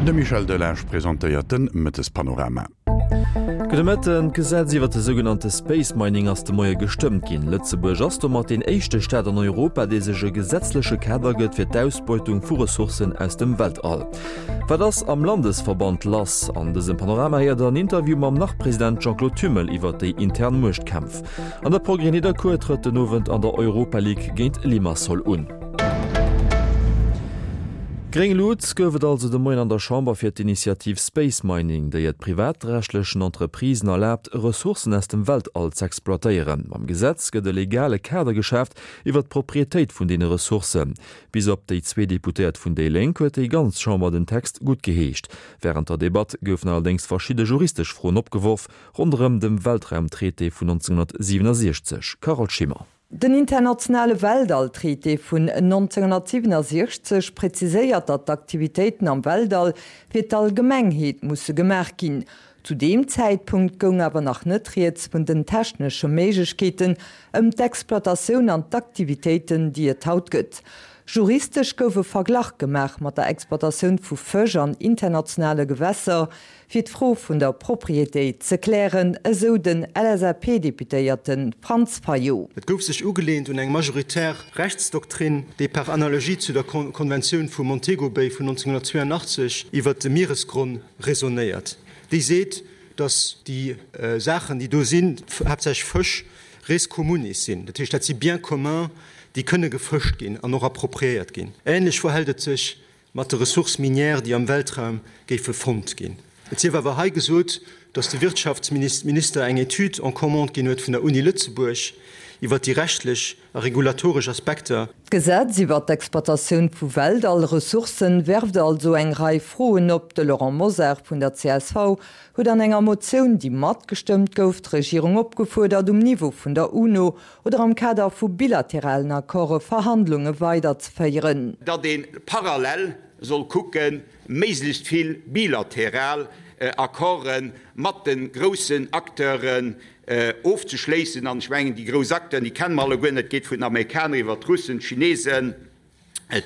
De Michel Delage presentéiert de Mëttespanorama. Gudde Mëtten. D'Gesetz iwwer de sougenannte Space Mining ass de Moie gestëmmt ginn. Lëtzebuerg ass domat deen éischte Staat an Europa, dee sech e gesetzleche Kader gëtt fir d'Ausbeutung vu Ressourcen aus dem Weltall. Wat ass am Landesverband lass? An dësem Panorama héiert der en Interview mam Nach-President Jean-Claude Thümmel iwwer déi intern Muechtkämpf. An der Progrès Nidderkuer trëtt den Owend an der Europa League géint Limassol un. Gréng Lut gouf et also de Moien an der Chamber fir d'Initiativ Space Mining, déi et privatrechtlechen Entreprisen erlaabt, Ressourcen aus dem Weltall z'exploitéieren. Mam Gesetz gëtt e legale Kader geschaaft iwwer d'Proprietéit vun deene Ressourcen. Bis op déi zwee Deputéiert vun déi Lénk huet déi ganz Chamber den Text guttgeheescht. Wärend der Debatt goufen allerdéngs verschidde juristesch Froen opgeworf ronderëm dem Weltraumtraité vun 1967. Carole Schimmer. Den internationale Weltall-Traité vun 1967 präziséiert, datt d'Aktivitéiten am Weltall fir d'Allgemengheet musse gemaach ginn. Zu deem Zäitpunkt goung awer nach net rieds vun den technesche Méiglechkeeten ëm d'Exploitatioun an d'Aktivitéiten, déi et haut gëtt. Juristesch gouf e Verglach gemaach mat der Exploitatioun vu Fësch an internationale Gewässer, fir d'Fro vun der Proprietéit ze klären, esou den LSAP-Deputéierte Franz Fayot. Et gouf sech ugeleent un eng majoritär Rechtsdoktrin, déi par analogie zu der Konventioun vu Montego Bay vun 1982 iwwert de Mieresgronn raisonnéiert. Déi seet, datt déi Saachen, déi do sinn, haaptsächlech Fësch, res communis sinn. Dat heescht, dat si Biens communs, déi kënne gefëscht ginn an och appropriéiert ginn. Ähnlech verhält et sech mat de Ressources minières, déi am Weltraum géife fonnt ginn. Et sief awer hei gesot, datt de Wirtschaftsminister eng Etüd en commande ginn huet vun der Uni Lëtzebuerg iwwert déi rechtlech a regulatoresch Aspekter. D'Gesetz iwwert d'Exploitatioun vu Weltall-Ressourcen werft also eng Rei Froen op. De Laurent Mosar vun der csv huet an enger Motioun, déi matgestëmmt gouf, d'Regierung opgefuerdert, um Niveau vun der UNO oder am Kader vu bilateralen Accorde Verhandlunge weiderzeféieren. Datt ee parallel soll kucken, méiglechst vill bilateral Accorde mat de groussen Acteuren ofzeschléissen. An ech mengen, déi grouss Acteuren, déi kenne mer alleguerten, dat geet vun den Amerikaner iwwert d'Russen, d'Chinesen,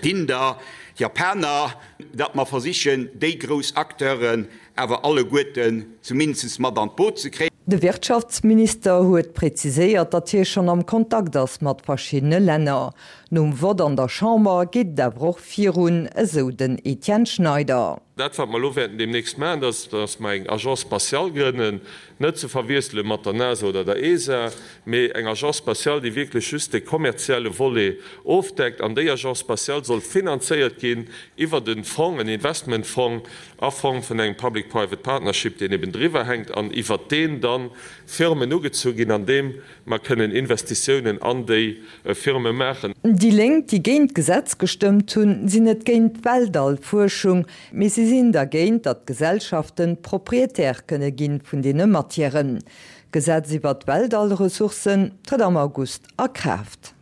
d'Inder, d'Japaner, datt mer versichen, déi grouss Acteuren awer alleguerten zumindest mat an d'Boot ze kréien. De Wirtschaftsminister huet präziséiert, datt hie schonn am Kontakt ass mat verschiddene Länner. Nom Vott an der Chamber geet et awer och virun, esou den Etienne Schneider. Dat, wat mer elo wäerten deemnächst maachen, dat ass, datt mer eng Agence spatiale grënnen, Net ze verwiessele mat der NASA oder der ESA, mee eng Agence spatiale, déi wierklech just de kommerzielle Volet ofdeckt. An déi Agence spatiale soll finanzéiert ginn iwwert e Fong, en Investmentfong a Form vun engem Public-Private Partnership, deen eben driwwer hänkt an iwwert deen da Firmen ugezu ginn, an deem mer kënnen Investitiounen an déi Firme maachen. Déi Lénk, déi géint d'Gesetz gestëmmt hunn, sinn net géint d'Weltallfuerschung, Mee si sinn dergéint, datt d'Gesellschaften Propriétaire kënne ginn vun deene Matièren. D'Gesetz iwwert d'Weltallressourcen trëtt am August a Kraaft.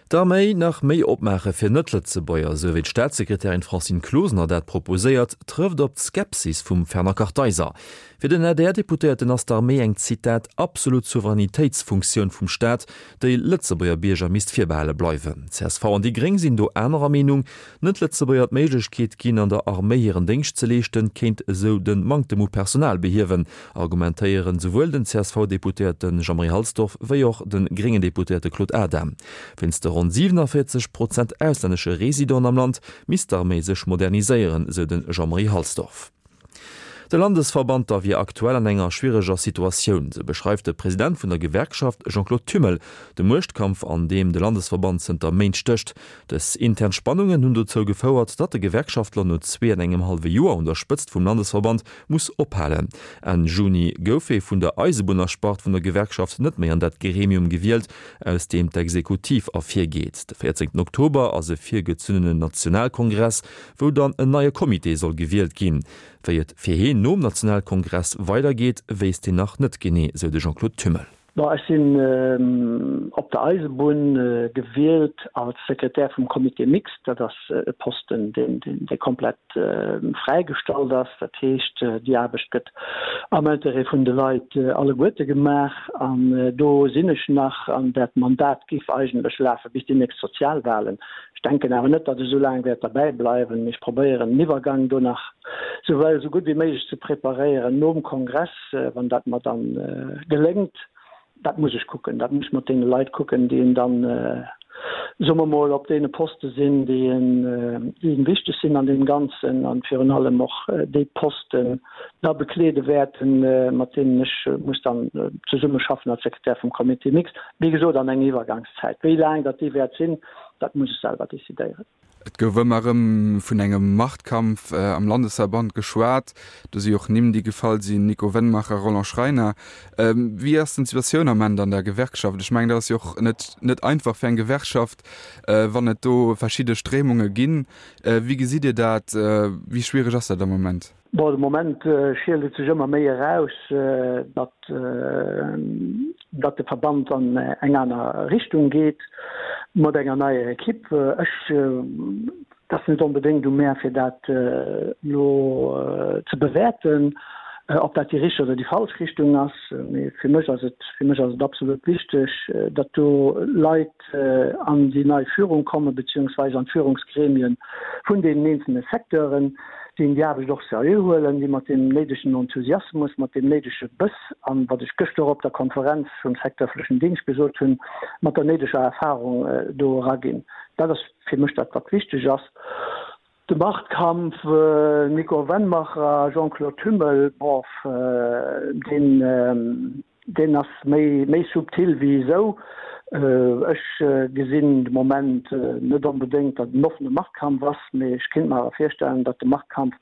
D'Arméi nach méi opmaache fir Net-Lëtzebuerger, esou wéi d'Staatssekretärin Francine Closener dat proposéiert, trëfft op d'Skepsis vum Fernand Kartheiser. Fir den ADR-Deputéierten ass d'Arméi eng, Zitat, absolut Souveränitéitsfunktioun vum Staat, déi Lëtzebuerger Bierger misst virbehale bleiwen. Csv an déi Gréng sinn do anerer Meenung. Net-Lëtzebuerger d'Méiglechkeet ginn, an der Arméi hiren Déngscht ze leeschten, kéint esou de Manktem u Personal behiewen, argumentéieren esouwuel den CSV-Deputéierte Jean-Marie Halsdorf wéi och de gréngen Deputéierte Claude Adam. Wéinst de ronn 47 Prozent auslännesche Residenten am Land misst d'Arméi sech moderniséieren, esou de Jean-Marie Halsdorf. De Landesverband da wier aktuell an enger schwiereger Situatioun, sou beschreift de President vun der Gewerkschaft Jean-Claude Thümmel de Muechtkampf, an deem de Landesverband zënter Méint stécht. Dës intern Spannungen hunn dozou gefouert, datt de Gewerkschaftler no zwee an engem hallwe Joer un der Spëtzt vum Landesverband muss ophalen. Enn Juni gouf ee vun der Eisebunnerspart vun der Gewerkschaft net méi an dat Gremium gewielt, aus deem d'Exekutiv ervirgeet. De 14 Oktober ass e virgezunnenen Nationalkongress, wou dann en neie Comité soll gewielt ginn. Wéi et fir heen nom Nationalkongress weidergeet, wéisst heen nach net genee, sou de Jean-Claude Thümmel. Bon, ech sinn op der Eisebunn gewielt als Sekretär vum Comité mixte. Dat ass e Posten, deen dee komplett fräigestallt ass. Dat heescht, déi Aarbecht gëtt am Interêt vun de Leit alleguerte gemaach. An do sinn ech nach. An dat Mandat géif eigentlech lafe bis déi nächst Sozialwahlen. Ech denken awer net, datt ech esou laang wäert derbäi bleiwen. Mee ech probéieren, den Iwwergang do nach esou esou gutt wéi méiglech ze preparéieren nom Kongress. Wann dat mer dann geléngt, dat muss ech kucken, dat muss ech mat deene Leit kucken, déi dann, soe mer mol, op deene Poste sinn, déi en wichteg sinn an deem Ganzen an virun allem och déi Posten da bekleede wäerten, mat deenen ech muss dann zesummeschaffen als Sekretär vum Comité mixte, wéi gesot an enger Iwwergangszäit. Wéi laang dat déi wäert sinn, dat muss ech selwer decidéieren. Et gouf ëmmer erëm vun engem Machtkampf am Landesverband geschwat. Do si och Nimm, déi gefall sinn, Nico Wennmacher, Roland Schreiner. Wéi ass denn d'Situatioun am Ament an der Gewerkschaft? Ech mengen, dat ass jo och net net einfach fir eng Gewerkschaft, wann et do verschidde Stréimunge ginn. Wéi gesitt Dir dat? Wéi schwiereg ass dat am Moment? Bon, de Moment schielt et sech ëmmer méi eraus, datt, datt de Verband an eng aner Richtung geet mat enger neier Ekipp. Ech, et ass net onbedéngt u mär, fir dat elo ze bewäerten, ob dat déi richteg oder déi falsch Richtung ass. Mee fir mech ass et, fir mech ass et absolut wichteg, datt do Leit an déi nei Führung kommen, beziehungsweise an d'Führungsgremien vun deenen eenzelne Secteuren, déi déi Aarbecht och seriö huelen, déi mat deem néidegen Enthusiasmus, mat deem néidege Bëss an, wat ech gëschter och op der Konferenz vum Secteur öffentlichen Dingscht gesot hunn, mat der néideger Erfahrung do eraginn. Dat ass fir mech dat, wat wichteg ass. De Machtkampf Nico Wennmacher, Jean-Claude Thümmel, bof, deen, deen ass méi, méi subtil wéi esou. Ech gesinn de Moment net onbedéngt, datt en offene Machtkampf ass, mee ech kéint mer awer virstellen, datt de Machtkampf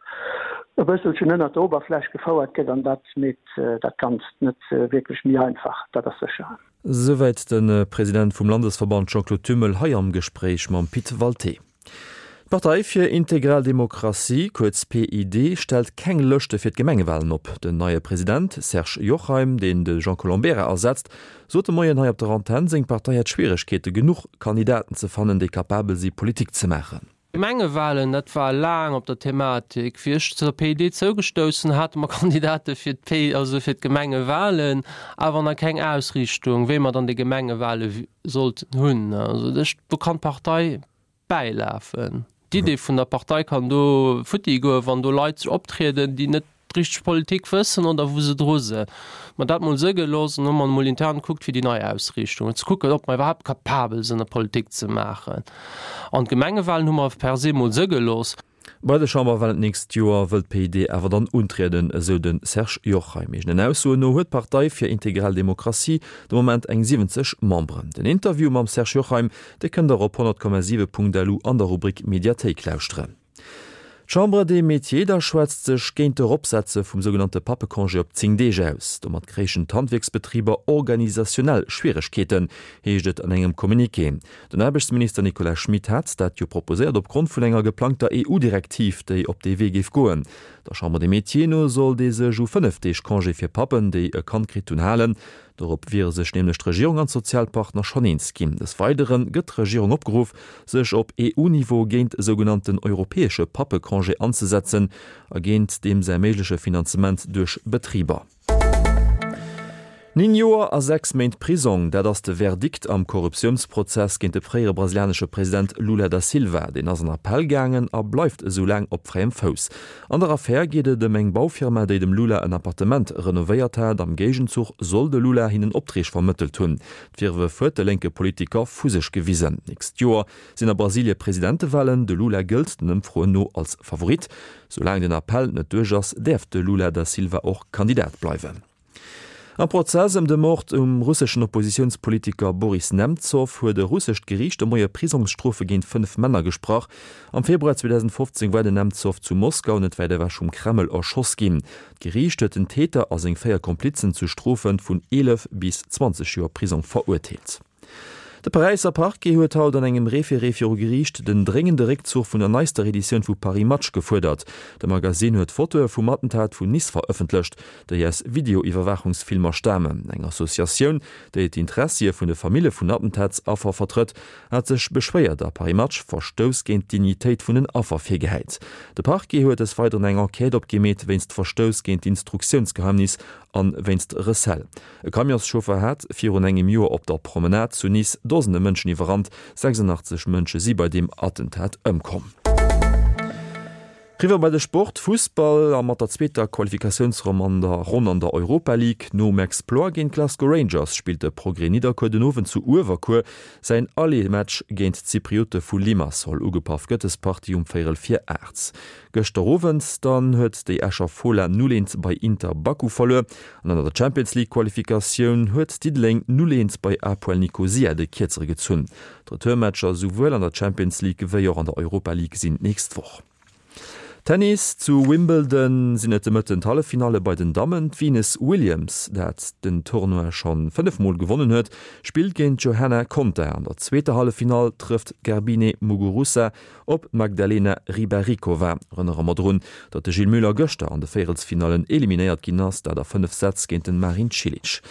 e bësselchen ënnert der Oberfläch gefouert gëtt an dat meet dat Ganzt net wierklech méi einfach, dat ass sécher. Souwäit de President vum Landesverband Jean-Claude Thümmel hei am Gespréich mam Pit Walté. D'Partei fir integral Demokratie, kuerz PID, stellt keng Lëschte fir d'Gemengewalen op. Den neie President Serge Jochheim, deen de Jean Colombera ersetzt, sot de Moien hei op der Antenn, seng Partei hätt Schwieregkeete genuch Kandidaten ze fannen, déi kapabel si Politik ze maachen. D'Gemengewalen, dat war laang op der Thematik. Wéi ech zur PID zougestouss hunn, hate mer Kandidate fir d'P, also fir d'Gemengewalen, awer nach keng Ausriichtung, wéi mer dann déi Gemengewale sollten hunn. Also ech, do kann d'Partei bäilafen. D'Idee vun der Partei kann do futti goen, wann do Leit sech optrieden, déi net richteg Politik wëssen oder wou se dru sinn. Mer dat mol sëgge looss an hu mer mol intern gekuckt fir déi nei Ausriichtung ze kucken, ob mer iwwerhaapt capabel sinn, Politik ze maachen. An d'Gemengewahlen hu mer per se mol sëgge looss. Bei de Chamberwalen d'nächst Joer wëll d'PID awer dann untrieden, esou de Serge Jochheim. Eegenen Aussoen no huet d'Partei fir integral Demokratie de Moment eng 70 Memberen. Den Interview mam Serge Jochheim, dee kënnt der op 100,7.lu an der Rubrik Mediathéik lauschteren. D'Chambre des Métiers da schwätzt sech géint d'Eropsetze vum sougenannte Pappecongé op 10 Deeg aus. Domat kréichen d'Handwierksbetriber organisationnell Schwieregkeeten, heescht et an engem Communiqué. Den Aarbechtsminister Nicolas Schmit hat dat jo proposéiert opgrond vun enger geplangter EU-Direktiv, déi op dee Wee géif goen. Der Chambre des Métiers no sollt ee sech u 5 Deeg Congé fir Pappen, déi e Kand kritt hunn, halen. Dorop wiere sech nämlech d'Regierung an d'Sozialpartner schonn eens ginn. Des Weidere gëtt d'Regierung opgeruff, sech op EU-Niveau géint e sougenannten europäesche Pappecongé anzesetzen a géint deem säi méigleche Finanzement duerch Betriber. 9 Joer a 6 Méint Prisong, dat ass de Verdikt am Korruptiounsprozess géint de fréiere brasilianesche President Lula da Silva. Deen ass an Appell gaangen a bleift esou laang op fräiem Fouss. An der Affär geet et ëm eng Baufirma, déi dem Lula en Appartement renovéiert hat. Am Géigenzuch soll de Lula hinnen Optreeg vermëttelt hunn. D'Virwërf huet de lénke Politiker vu sech gewisen. D'nächst Joer sinn a Brasilie Presidentewalen. De Lula gëllt den Ëmfroen no als Favorit. Soulaang den Appell net duerch ass, däerf de Lula da Silva och Kandidat bleiwen. Am Prozess ëm de Mord um russeschen Oppositiounspolitiker Boris Nemzow huet e russescht Geriicht de Moie Prisongsstrofe géint 5 Männer gesprach. Am Februar 2015 war den Nemzow zu Moskau, net wäit ewech vum Kreml, erschoss ginn. D'Geriicht huet den Täter a seng 4 Komplizen zu Strofe vun 11 bis 20 Joer Prisong verurteelt. De Paräisser Parquet huet haut an engem Référé viru Geriicht den dréngende Réckzuch vun der neister Editioun vu Paris Match gefuerdert. De Magasinn huet Fotoe vum Attentat vun Nice verëffentlecht, déi aus Videoiwwerwaachungsfilmer stamen. Eng Associatioun, déi d'Intressie vun de Famille vun Attentatsaffer vertrëtt, hat sech beschwéiert a Paris Match Verstouss géint d'Dignitéit vun den Affer virgehäit. De Parquet huet des Weideren eng Enquête opgemeet wéinst Verstouss géint d'Instruktiounsgeheimnis an wéinst Recel. E Camionschauffer hat virun engem Joer op der Promenade zu Nice Dosene Mënschen iwwerrannt. 86 Mënsche si bei deem Attentat ëmkomm. Riwwer bei de Sport, Fussball a mat der zweeter Qualifikatiounsronn an der Ronn an der Europa League. Nom Exploit géint d'Glasgow Rangers spillt de Progrès Nidderkuer den Owend zu Uewerkuer säin Aller-Match géint d'Zypriote vu Limassol. Ugepaff gëtt des Partie um véierel vir 8. Gëschter Owend dann huet déi Escher Fola 0, 1 bei Inter Baku verluer. An an der Champions League Qualifikatioun huet Diddeleng 0, 1 bei APOEL Nikosia de Kierzere gezunn. D'Retourmatcher souwuel an der Champions League wéi och an der Europa League sinn d'nächst Woch. Tennis, Zu Wimbledon sinn et de Mëtten d'Halleffinalle bei den Dammen. D'Venus Williams, dat den Tournoi scho 5 Mol gewonnen huet, spillt géint d'Johanna Konta. An der zweeter Halleffinall trëfft d'Garbine Muguruza Op d'Magdalena Rybarikova. Erënnere mer drun, datt de Gilles Muller gëschter an de Véierelsfinallen eliminéiert ginn ass, dat a 5 Sätz géint den Marin Cilic.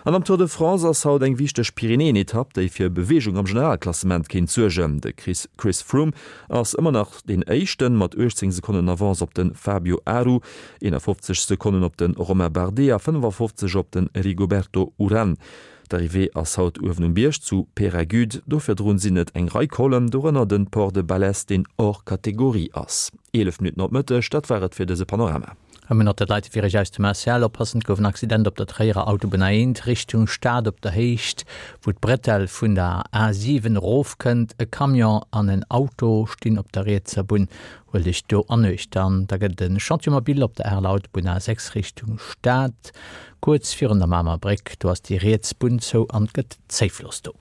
An am Tour de France ass haut eng wichteg Pyrenäen-Etapp, déi fir Beweegung am Generalklassement kéint suergen. De Chris Froome ass ëmmer nach deen Éischten, mat 18 Sekonnen Avance op de Fabio Aru, 51 Sekonnen op de Romain Bardet a 55 op de Rigoberto Uran. D'Arrivée ass haut uewen um Bierg zu Peyragudes. Do virdrun sinn et eng Rei Collen, dorënner den Port de Balès, deen hors catégorie ass. 11 Minutten op Mëtteg, dat war et fir dëse Panorama. A mir nach dat Leite fir Iech aus dem ACL oppassen. Et gouf en Accident op der Tréierer Autobunn A1 Richtung Stad op der Héicht, wou d'Bretelle vun der A7 erofkënnt. E Camion an en Auto stinn op der rietser Bunn. Huelt Iech do an Uecht. An da gëtt et e Chantier mobile op der Areler Autobunn A6 Richtung Stad, kuerz virun der Mamer Bréck. Do ass déi riets Bunn zou an et gëtt Zéifloss do.